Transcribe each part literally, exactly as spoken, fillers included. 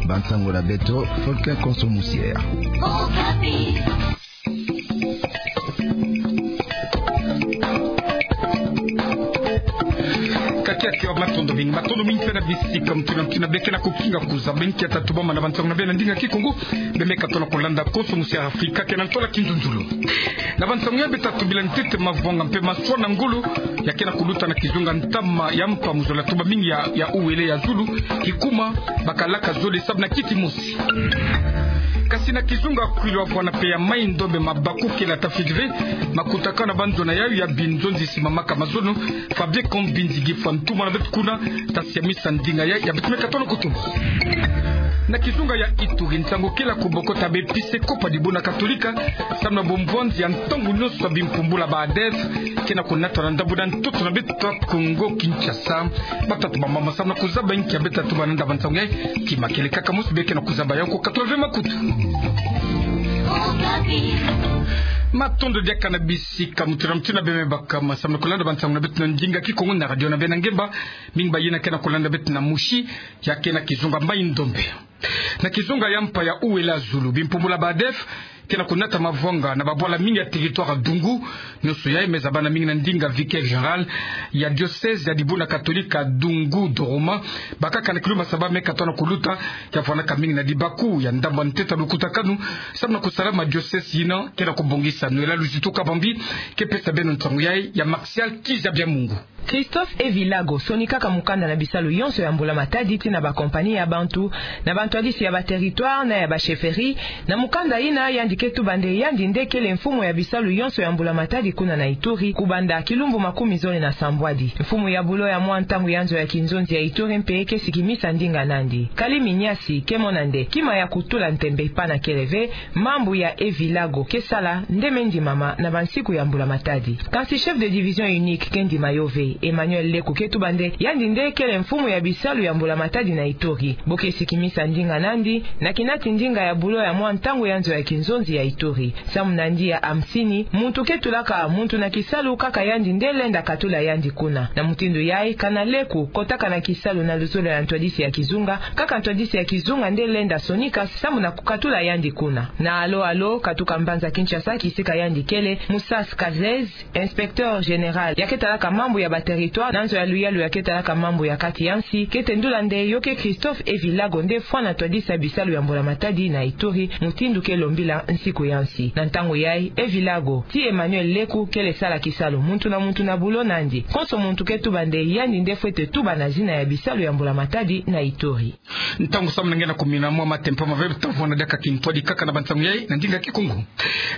Bansango na beto, Volker Konso Musiere. Kakiaki, matondo mingi, matondo mingi mpe na bisika mutuna mutuna bê ke na kukinga kuzaba. Nkia tatubama na bansango na bê na ndinga Kikongo, bê me katono kulanda Konso Musiere Afrika ke na ntola kinzunzulu. Na bansango ya bê tatubila ntete mavwanga mpe maswa na ngolo ya ke na kuluta na kizunga ntama ya mpa mu zola tuba mingi ya, ya uwele ya zulu, kikuma, bakalaka zole sabu na kiti mosi. Kasi na kizunga Kwilu, avwana mpe ya Mai-Ndombe, mabaku kele ta fidive makutakanu na banzo na yayo ya binzonzi simamaka mazono. Fabien Kambinzi Gifwa, ntumwa na beto kuna, ta siamisa ndinga ya, ya beto me katono kutumba. Na kizunga ya Ituri, nsangu kele kubokota b'Episikopo ya Dibuna Katolika samu na bombwanzi ya ntangu nyonso ya bimpumbula ba ADF ke na kunata na ndambu na ntoto na beto Kongo Kinshasa. Batatu bamama samu na kuzaba nkia bê tatuba na nda bansango ya, kima kele kaka mosi bê ke na kuzaba yawu ko katula ve makutu. Matondo diaka na bisika mutuna mutuna bê me bakama samu na kulanda bansango na beto na ndinga Kikongo na radio na bê na ngemba. Mingi bayina ke na kulanda beto na mosi, ya ke na kizunga Mai-Ndombe. Na kizunga ya mpa ya uwele ya zulu, bimpumbula ba ADF ke na kunata mavwanga na babwala mingi ya territoire ya Dungu. Nyonso yayi me zabana mingi na ndinga vicaire général ya diocèse ya Dibuna Katolika Dungu Doroman. Bakaka na kilumbu saba me katono kuluta, ya vwanaka mingi na dibaku ya ndambu ya ntete ya lukutakanu samu na kusalama diocèse yina ke na kubongisa. Noëlla Luzitu Kabambi ke pesa beno nsangu yayi, ya Martial Kiza Bya Mungu. Christophe Evilago sonikaka mukanda na bisalu yonso ya mbula-matadi tii na bakompani ya bantu, na bantwadisi ya baterritware na ya bachefferie. Na mukanda yina, yandi ke tuba nde yandi nde kele mfumu ya bisalu yonso ya mbula-matadi kuna na Ituri, kubanda kilumbu makumi zole na sambwadi. Mfumu ya bulo ya mwa ntangu ya nzo ya kinzonzi ya Ituri mpe ke sikimisa ndinga nandi. Kali minyasi ke mona nde kima ya kutula ntembe pana kele ve, mambu ya Evilago ke sala nde me ndimama na bansiku ya mbula-matadi. Kansi chef de division unique ke ndima yo ve. Emmanuel Leku ke tuba nde yandi nde kele mfumu ya bisalu ya mbula-matadi na Ituri. Bo ke sikimisa ndinga nandi na kinati ndinga ya bulo ya mwa ntangu ya nzo ya kinzonzi ya Ituri. Samu na ndia ya hamsini, muntu ke tulaka muntu na kisalu, kaka yandi nde lenda katula yandi kuna. Na mutindu yayi, kana Leku kotaka na kisalu na luzolo ya ntwadisi ya kizunga, kaka ntwadisi ya kizunga nde lenda sonika samu na kukatula yandi kuna. Na alo alo, katuka mbanza Kinshasa kisika yandi kele, Moussa Skazez, inspecteur général ya ke talaka mambu ya baterritware na nzo ya luyalu ya ke talaka mambu ya kati ya nsi, ke tendula nde yo ke Christophe Evilago nde fwana ntwadisi ya bisalu ya mbula-matadi na Ituri, mutindu ke lombila nsiku ya nsi. Na ntangu yayi, Evilago tii Emmanuel Leku kele sala kisalu, muntu na muntu na bulo nandi. Konso muntu ke tuba nde yandi nde fwete tuba na zina ya bisalu ya mbula-matadi na Ituri. Ntangu samu na nge na kumina mwa matempa mave, ta vwanda diaka kintwadi kaka na bansangu yayi na ndinga Kikongo.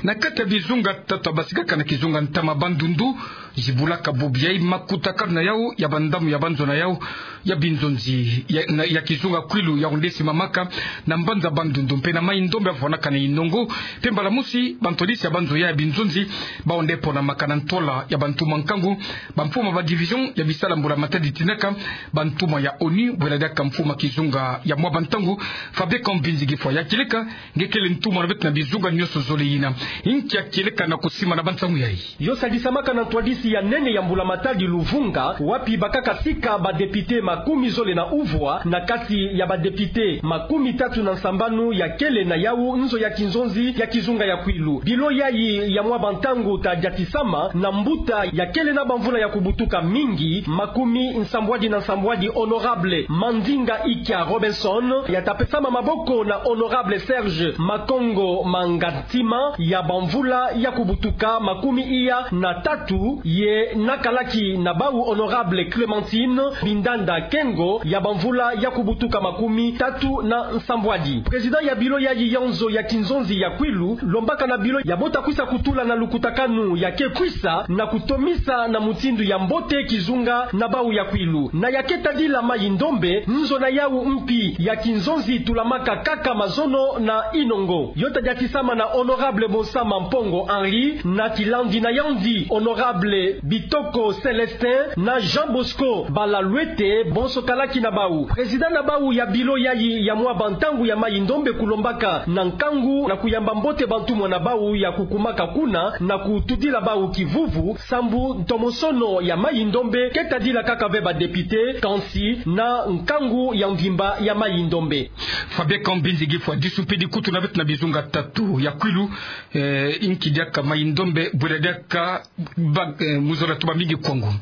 Na kati ya bizunga tatu basikaka na kizunga ntama Bandundu, zibulaka bubu yayi makutakanu na yawu ya bandamu ya banzo na yawu ya binzonzi ya, na, ya kizunga Kwilu, yawu nde simamaka na mbanza Bandundu mpe na Mai-Ndombe, avwanaka na Inongo. Mpe mbala mosi bantwadisi ya banzo ya, ya binzonzi, bawu nde ponamaka na ntola ya bantumwa nkangu, bamfumu ba division ya bisalu ya mbula-matadi, tinaka bantumwa ya ONU, bwela diaka mfumu ya kizunga ya mwa bantangu, Fabien Kambinzi Gifwa. Ya kieleka, nge kele ntumwa na beto na bizunga nyonso zole yina. Nkia kieleka na kusima na bansangu yayi? Yo sadisamaka na ntwadisi ya nene ya mbula-matadi Luvunga, wapi bakaka sika badepite makumi zole na uvwa na kati ya badepite makumi tatu na nsambanu ya kele na yawu nzo ya kinzonzi ya kizunga ya Kwilu. Bilo yayi ya mwa bantangu ta diatisama na mbuta ya kele na bamvula ya kubutuka mingi, makumi nsambwadi na nsambwadi, honorable Mandinga Ikia Robinson, ya ta pesama maboko na honorable Serge Makongo Mangantima, ya bamvula ya kubutuka makumi iya na tatu, ye nakalaki na bawu honorable Clémentine Bindanda Kengo, ya bamvula ya kubutuka makumi tatu na nsambwadi. Président ya bilo yayi ya nzo ya kinzonzi ya Kwilu lombaka na bilo ya bo ta kwisa kutula na lukutakanu ya ke kwisa na kutomisa na mutindu ya mbote kizunga na bawu ya Kwilu. Na ya ke tadila Mai-Ndombe, nzo na yawu mpi ya kinzonzi tulamaka kaka mazono na Inongo. Yo ta diatisama na honorable Bonsama Mpongo Henri, na kilandi na yandi honorable Bitoko Célestin na Jean Bosco Balalwete, bonso kalaki na bawu. Président na bawu ya bilo yayi ya mwa bantangu ya Mayi-Ndombe kulombaka na nkangu na kuyamba mbote bantumwa na bawu ya kukumaka kuna na kutudila bawu kivuvu, sambu ntomosono ya Mayi-Ndombe ke tadila kaka ve ba député, kansi na nkangu ya mvimba ya Mayi-Ndombe. Fabien Kambinzi, ngifu wa disumpidi kutu na beto na bizunga tatu ya kwilu, eh, inki diaka Mayi-Ndombe, bwela diaka ba, eh, mu zola tuba mingi kwangu.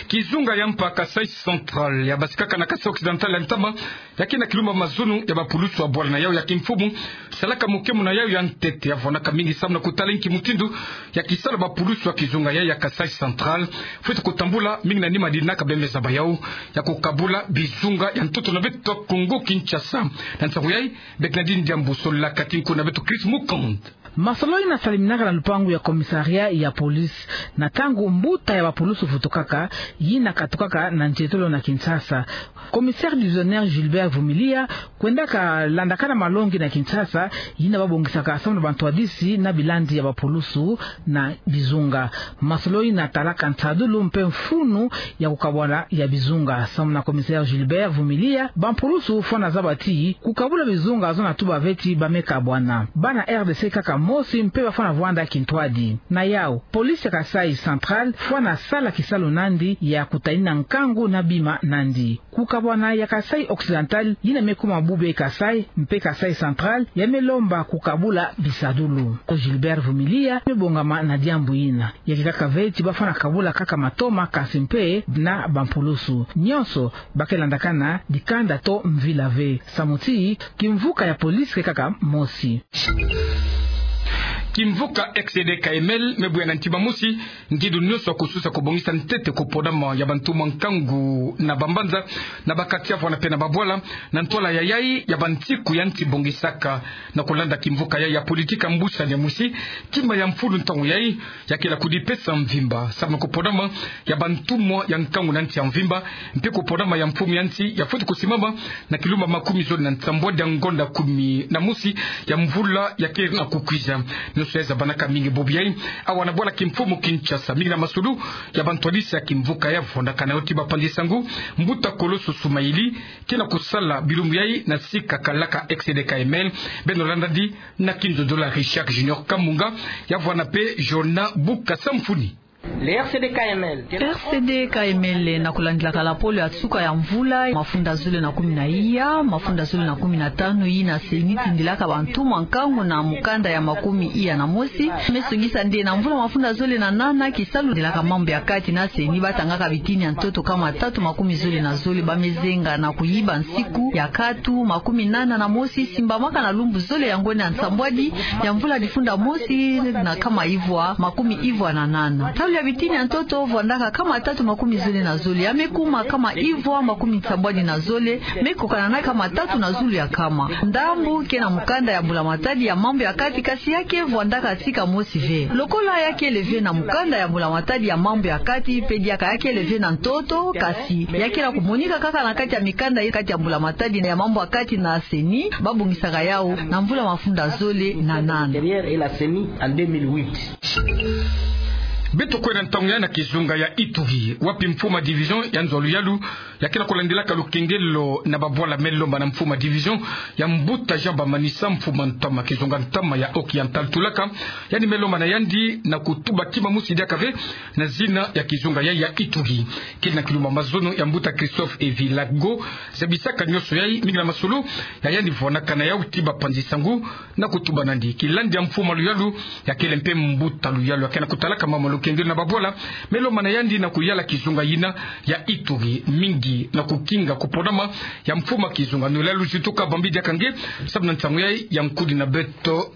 Kizunga ya mpa Kasaï Central ya basikaka na Kasaï Occidental ya ntama, ya ke na kilumba mazono ya bapulusu wa bwala na yawu ya kimfumu, salaka mokemo na yawu ya ntete ya vwanaka mingi samu na kutala inki mutindu ya kisalu bapulusu wa kizunga ya, ya Kasaï Central fweti kutambula mingi na nima dina kabembe zaba yawu ya kukabula bizunga ya ntoto na beto Kongo Kinshasa. Na nsangu yayi, Bernardine Diambu, sola kati nko na beto Chris Mukand. Masolo ina saliminaka na lupangu ya commissariat ya police, na ntangu mbuta ya bapulusu vutukaka, yina katukaka na nzietolo na Kinshasa. Commissaire divisionnaire Gilbert Vumilia kwendaka landakana malongi na Kinshasa, yina babongisaka samu na bantwadisi na bilandi ya bapulusu na bizunga. Masolo ina talaka nsadulu mpe mfunu ya kukabwana ya bizunga. Samu na commissaire Gilbert Vumilia, bampulusu fwana zaba ti kukabula bizunga zo na tuba ve ti ba me kabwana. Bana R D C kaka mosi mpe bafwana vwanda kintwadi. Na yawu, police ya Kasaï Central fwana sala kisalu nandi ya kutanina nkangu na bima nandi. Kukabwana ya Kasaï Occidental yina me kuma bube Kasaï mpe Kasaï Central ya me lomba kukabula bisadulu. Gilbert Vumilia me bongama na diambu yina. Ya ke kaka ve ti bafwana kabula kaka matoma, kansi mpe na bampulusu. Nyonso ba ke landakana dikanda to mvila ve. Samu ti kimvuka ya police ke kaka mosi. Kimvuka X C D K M L me bwe na ntima mosi ngidu nyonso kususa kubongisa ntete kupodama ya bantumwa nkangu na bambanza, na baquartier vwana mpe na babwala, na ntwala ya yayi ya bansiku ya nsi bongisaka. Na kulanda kimvuka ya, ya politika mbusani ya mosi, kima ya mfulu ntangu yayi ya ke na kudipesa mvimba samu na kupodama ya bantumwa ya nkangu na nsi ya mvimba, mpe kupodama ya mfumu ya nsi ya fweti kusimama na kilumba makumi zole na nsambwadi ya ngonda kumi na mosi ya mvula ya ke na kukwiza. Nyonso ya zabanaka mingi bobu yayi awa na bwala kimfumu Kinshasa, mingi na masulu ya bantwadisi ya kimvuka ya vwandakana yo ti bapanzi sangu, mbuta Koloso Soumaili, ke na kusala bilumbu yayi na sika kalaka X C D K M L. Beno landadi na kindodola Richard Junior Kamunga, ya vwana mpe Jonah Buka Samfuni. Le R C D K M L. R C D K M L, na kulandilaka lapolo ya nsuka ya mvula, mafunda zole na kumi na iya, mafunda zole na kumi na tanu, yina CENI tindilaka bantumwa nkangu na mukanda ya makumi iya na mosi, me songisa nde na mvula mafunda zole na nana, kisalu dilaka mambu ya kati na CENI batangaka bitini ya ntoto kama tatu makumi zole na zole ba me zenga na kuyiba nsiku ya katu makumi nana na mosi, simbamaka na lumbu zole ya ngonda ya nsambwadi ya mvula difunda mosi na kama ivwa makumi ivwa na nana. Ntalu ya bitini ya ntoto vwandaka kama tatu makumi zole na zole, ya me kuma kama ivwa makumi nsambwadi na zole, me kokana na kama tatu na zulu ya kama. Ndambu ke na mukanda ya mbula-matadi ya mambu ya kati, kasi ya ke vwandaka sika mosi ve. Lokola ya kele ve na mukanda ya mbula-matadi ya mambu ya kati, mpe diaka ya kele ve na ntoto, kasi ya ke na kumonika kaka na kati ya mikanda ya kati ya mbula-matadi ya mambu ya kati na CENI, babongisaka yawu na mvula mafunda zole na nana. Beto kwenda ntangu yayi na kizunga ya Ituri, wapi mfumu ya division ya nzo ya luyalu ya ke na kulandilaka lukengelo na babwala me lomba na mfumu ya division ya mbuta Jean Bamanisa, mfumu ya ntama kizunga ntama ya Occidental Tulaka, yandi me lomba na yandi na kutuba kima mosi diaka ve na zina ya kizunga yayi ya Ituri. Kele na kilumba mazono ya mbuta Christophe Evilago, zabisaka nyonso yayi, mingi na masulu ya yandi vwanakana yawu ti bapanzi sangu, na kutuba nandi kilandi ya mfumu ya luyalu, ya kele mpe mbuta luyalu ya ke na kutalaka mambu ya lukengelo na babwala me lomba na yandi na kuyala kizunga yina ya Ituri, mingi na kukinga kupodama ya mfumu ya kizunga. Nolai luzitu kabambi diaka nge, samu na nsangu yayi ya nkudi na beto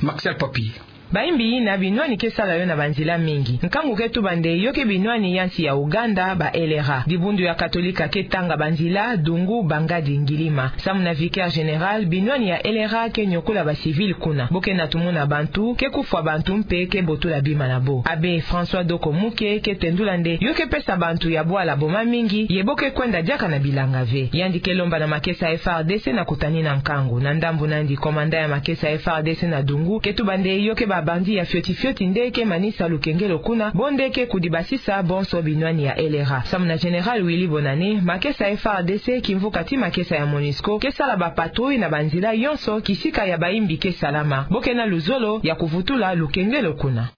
Martial Papi. Bayimbi yina binwani ke sala yo na banzila mingi. Nkangu ke tuba nde yo ke binwani ya nsi ya Ouganda, ba L R A. Dibundu ya Katolika ke tanga banzila, Dungu, Bangadi, Ngilima. Samu na vicaire général, binwani ya L R A ke niokola ba civil kuna. Bo ke na tumuna bantu, ke kufwa bantu mpe ke botola bima na bo. Abbé François Doko Muke ke tendula nde yo ke pesa bantu ya bwala boma mingi, ye bo ke kwenda diaka na bilanga ve. Yandi ke lomba na makesa F A R D C na kutanina nkangu. Na ndambu na yandi, commandant ya makesa F A R D C na Dungu ke tuba nde yo ke ba Bandi ya fioti fioti nde ke manisa lukengelo kuna, bo nde ke kudibasisa bonso binwani ya L R A. Samu na Général Willy Bonane, makesa ya F A R D C, kimvuka ti makesa ya MONUSCO, ke sala ba patrouille na banzila yonso kisika ya bayimbi ke salama. Bo ke na luzolo ya kuvutula lukengelo kuna.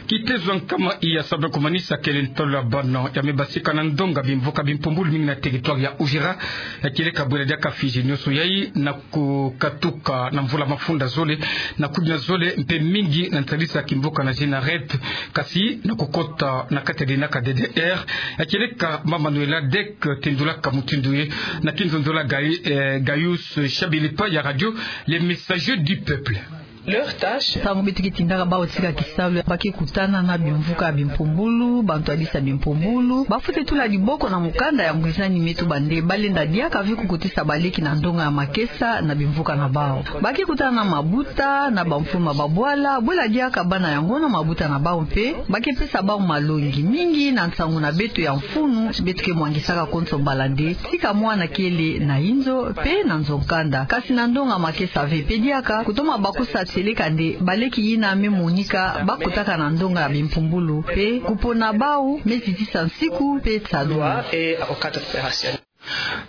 Kitezo ya nkama iya sabe kumanisa kele ntolo ya bana ya me basika na ndonga bimvuka bimpumbulu mingi na territoire ya Uvira, ya kieleka bwela diaka Fidji nioso yai na kukatuka na mvula mafunda zole na kudina zole mpe mingi na nsalisa kimvuka na Génarette, kasi na kukota na kati ya dinaka D D R, ya kieleka Mama Manuela Dek tendulaka mutindu ye na kinzonzolo ya Gai-, eh, Gaius Shabili epai ya radio Le Messager du Peuple. Leur tâche. Ntangu beto ke tindaka bawu tika kisalu, ba ke kutana na bimvuka bimpumbulu, bantwadisi ya bimpumbulu, ba fwete tula diboko na mukanda ya ngwizani me tuba nde ba lenda diaka ve kukotisa baleki na ndonga ya makesa na bimvuka na bawu. Ba ke kutana na mabuta, na bamfulu ma babwala, bwela diaka bana yango na mabuta na bawu mpe, ba ke pesa bawu malongi mingi na nsangu na beto ya mfunu, beto ke mwangisaka konso mbala nde, tika mwana kele na inzo, mpe na nzo-nkanda. Kasi na ndonga makesa ve mpe diaka, kutoma bakusa tieleka nde, baleki yina me monika, ba kotaka na ndonga ya bimpumbulu, mpe kupona bawu, me zitisa nsiku, mpe tsadulu.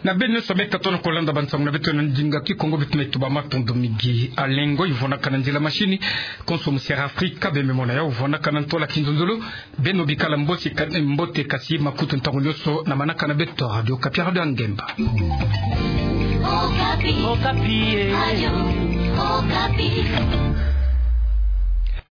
Na beno nyonso me katono kolanda bansangu na beto na ndinga Kikongo, beto na tuba matondo mingi. Alain Ngoy vwandaka na nzila machine, konso mu Sierra Africa, be me mona yau vwandaka na ntwala kinzonzolo, beno bikala mbote ka-, mbote kasi makutu ntangu nyonso na manaka na beto Radio Okapi, radio ya ngemba. Okapi. Okapi, eh. Radio Okapi.